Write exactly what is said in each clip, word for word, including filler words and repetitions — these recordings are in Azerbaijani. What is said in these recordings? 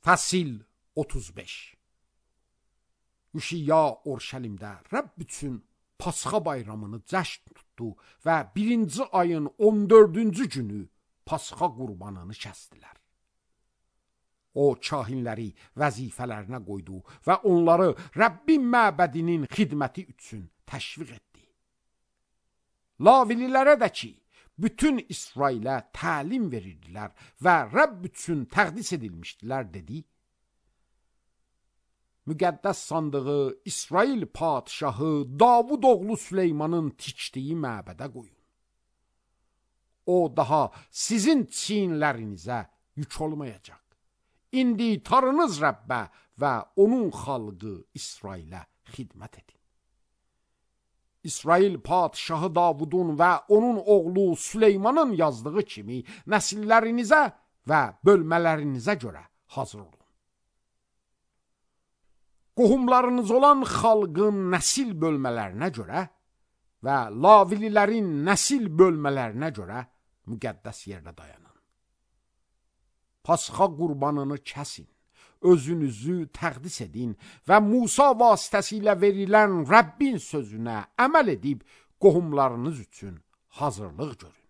Fəsil otuz beş. Üşiyya Orşəlimdə Rəbb üçün Pasxa bayramını cəşn tutdu və birinci ayın on dördüncü günü Pasxa qurbanını kəsdilər. O, kahinləri vəzifələrinə qoydu və onları Rəbbin məbədinin xidməti üçün təşviq etdi. Lavililərə də ki, bütün İsrailə təlim verirdilər və Rəbb üçün təqdis edilmişdilər, dedi. Müqəddəs sandığı İsrail padişahı Davud oğlu Süleymanın tikdiyi məbədə qoyun. O, daha sizin çiyinlərinizə yük olmayacaq. İndi tarınız Rəbbə və onun xalqı İsrailə xidmət edin. İsrail padişahı Davudun və onun oğlu Süleymanın yazdığı kimi nəsillərinizə və bölmələrinizə görə hazır olun. Qohumlarınız olan xalqın nəsil bölmələrinə görə və lavililərin nəsil bölmələrinə görə müqəddəs yerdə dayanın. Pasxa qurbanını kəsin, özünüzü təqdis edin və Musa vasitəsilə verilən Rəbbin sözünə əməl edib qohumlarınız üçün hazırlıq görün.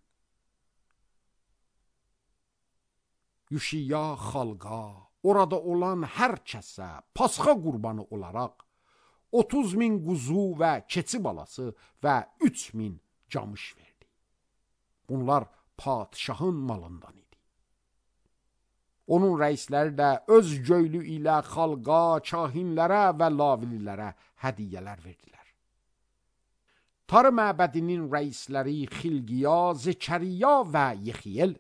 Üşiyya xalqa, orada olan hər kəsə Pasxa qurbanı olaraq otuz min quzu və keçi balası və üç min camış verdi. Bunlar padişahın malından idi. Onun rəisləri də öz göylü ilə xalqa, kahinlərə və lavililərə hədiyyələr verdilər. Tarı məbədinin rəisləri Xilqiya, Zekəriya və Yexiyel,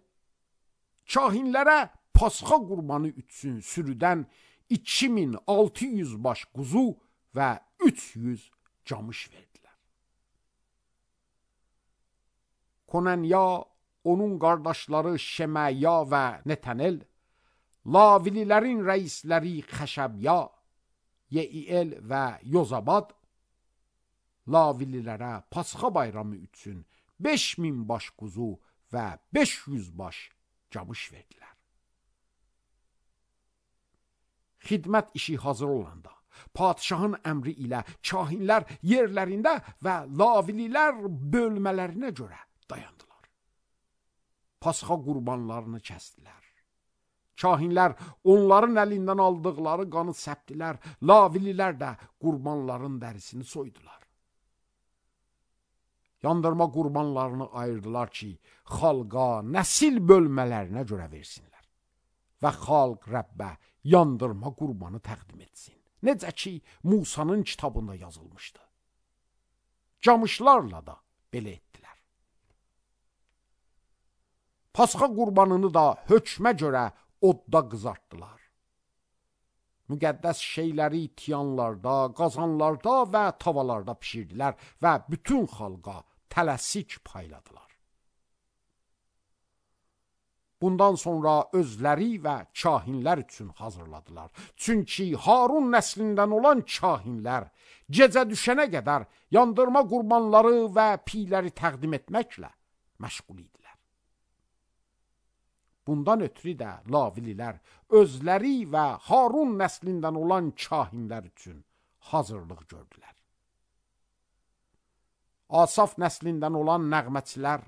kahinlərə Pasxa qurbanı üçün sürüdən iki min altı yüz baş quzu və üç yüz camış verdilər. Konanya, onun qardaşları Şeməya və Netənel, lavililərin rəisləri Xəşəbya, Yeiyel və Yozabad, lavililərə Pasxa bayramı üçün beş min baş quzu və beş yüz baş camış verdilər. Xidmət işi hazır olanda, padişahın əmri ilə kahinlər yerlərində və lavililər bölmələrinə görə dayandılar. Pasxa qurbanlarını kəsdilər. Kahinlər onların əlindən aldıqları qanı səpdilər, lavililər də qurbanların dərisini soydular. Yandırma qurbanlarını ayırdılar ki, xalqa, nəsil bölmələrinə görə versinlər və xalq Rəbbə yandırma qurbanı təqdim etsin. Necə ki, Musanın kitabında yazılmışdı. Camışlarla da belə etdilər. Pasxa qurbanını da hökmə görə odda qızartdılar. Müqəddəs şeyləri tiyanlarda, qazanlarda və tavalarda pişirdilər və bütün xalqa tələsik payladılar. Bundan sonra özləri və kahinlər üçün hazırladılar. Çünki Harun nəslindən olan kahinlər gecə düşənə qədər yandırma qurbanları və piyləri təqdim etməklə məşğul idilər. Bundan ötürü də lavililər özləri və Harun nəslindən olan kahinlər üçün hazırlıq gördülər. Asaf nəslindən olan nəğməçilər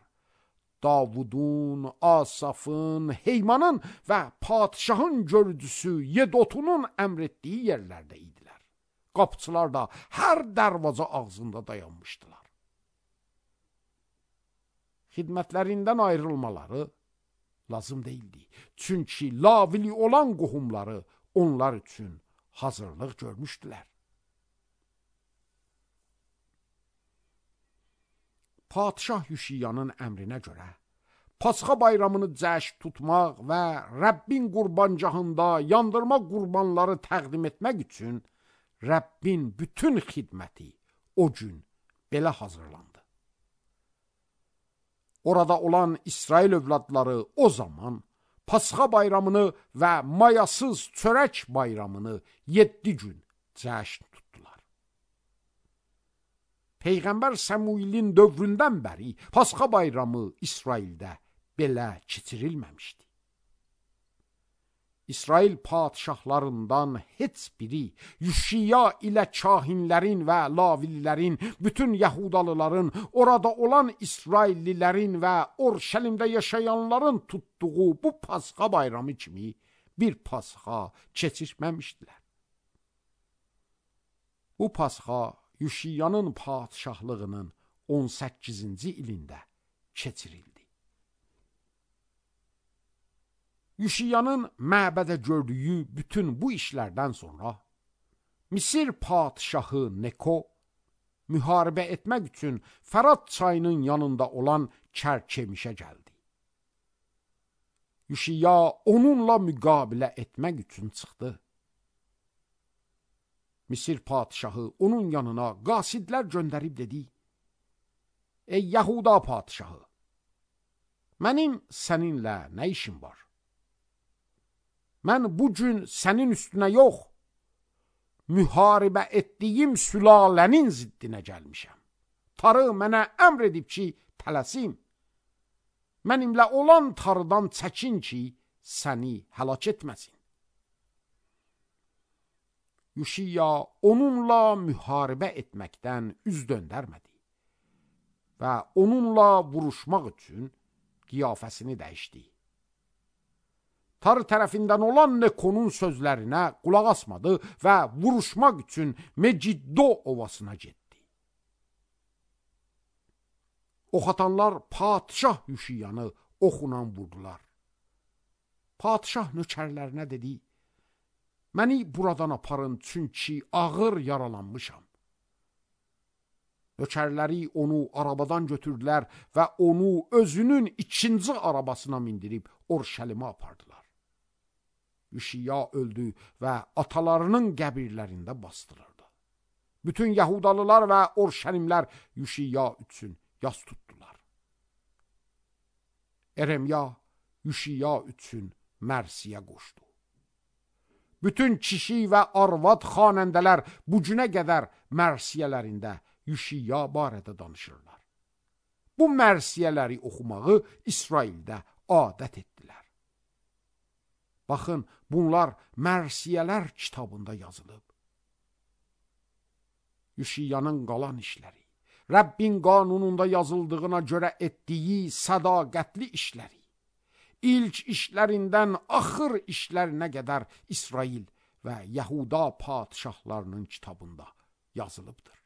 Davudun, Asafın, Heymanın və padişahın görücüsü Yedotunun əmr etdiyi yerlərdə idilər. Qapıçılar da hər dərvaza ağzında dayanmışdılar. Xidmətlərindən ayrılmaları lazım deyildi. Çünki lavili olan qohumları onlar üçün hazırlıq görmüşdülər. Padişah Üşiyyanın əmrinə görə Pasxa bayramını cəşn tutmaq və Rəbbin qurbancahında yandırma qurbanları təqdim etmək üçün Rəbbin bütün xidməti o gün belə hazırlandı. Orada olan İsrail övladları o zaman Pasxa bayramını və mayasız çörək bayramını yeddi gün cəşn tutdular. Peyğəmbər Səmuilin dövründən bəri Pasxa bayramı İsraildə belə keçirilməmişdi. İsrail padişahlarından heç biri Yuşiya ilə kahinlərin və lavililərin, bütün Yahudalıların, orada olan İsraillilərin və Orşəlimdə yaşayanların tutduğu bu Pasxa bayramı kimi bir Pasxa keçirməmişdilər. Bu Pasxa Yuşiyanın padişahlığının on səkkizinci ilində keçirildi. Yuşiyanın məbədə gördüyü bütün bu işlərdən sonra Misir padişahı Neko müharibə etmək üçün Fərat çayının yanında olan Kərkemişə gəldi. Yuşiya onunla müqabilə etmək üçün çıxdı. Misir padişahı onun yanına qasidlər göndərib dedi: Ey Yahuda padişahı, mənim səninlə nə işim var? Mən bu gün sənin üstünə yox, müharibə etdiyim sülalənin ziddinə gəlmişəm. Tarı mənə əmr edib ki, tələsim. Mənimlə olan tarıdan çəkin ki, səni həlak etməsin. Yuşiya onunla müharibə etməkdən üz döndərmədi və onunla vuruşmaq üçün qiyafəsini dəyişdi. Tarı tərəfindən olan Nekonun sözlərinə qulaq asmadı və vuruşmaq üçün Meciddo ovasına getdi. Ox atanlar padişah Yuşiyanı oxla vurdular. Padişah nökərlərinə dedi: Məni buradan aparın, çünki ağır yaralanmışam. Nökərləri onu arabadan götürdülər və onu özünün ikinci arabasına mindirib Orşəlimə apardılar. Yuşiya öldü və atalarının qəbirlərində bastırıldı. Bütün Yahudalılar və Orşəlimlər Yuşiya üçün yas tutdular. Eremya Yuşiya üçün mərsiyə qoşdu. Bütün kişi və arvad xanəndələr bu günə qədər mərsiyələrində Yuşiya barədə danışırlar. Bu mərsiyələri oxumağı İsraildə adət etdilər. Baxın, bunlar mərsiyələr kitabında yazılıb. Yuşiyanın qalan işləri, Rəbbin qanununda yazıldığına görə etdiyi sədaqətli işləri, ilk işlərindən axır işlərinə qədər İsrail və Yahuda padişahlarının kitabında yazılıbdır.